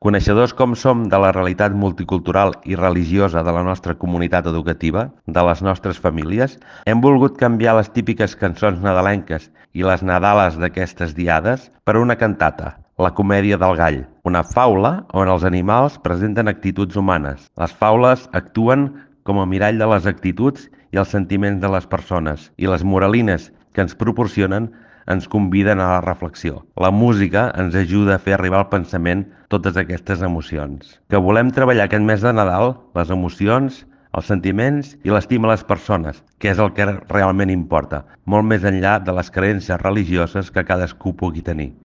Coneixedors com som de la realitat multicultural i religiosa de la nostra comunitat educativa, de les nostres famílies, hem volgut canviar les típiques cançons nadalenques i les nadales d'aquestes diades per una cantata, la comèdia del gall, una faula on els animals presenten actituds humanes. Les faules actuen com a mirall de les actituds i els sentiments de les persones, i les moralines que ens proporcionen ens conviden a la reflexió. La música ens ajuda a fer arribar al pensament totes aquestes emocions. Que volem treballar aquest mes de Nadal les emocions, els sentiments i l'estima a les persones, que és el que realment importa, molt més enllà de les creences religioses que cadascú pugui tenir.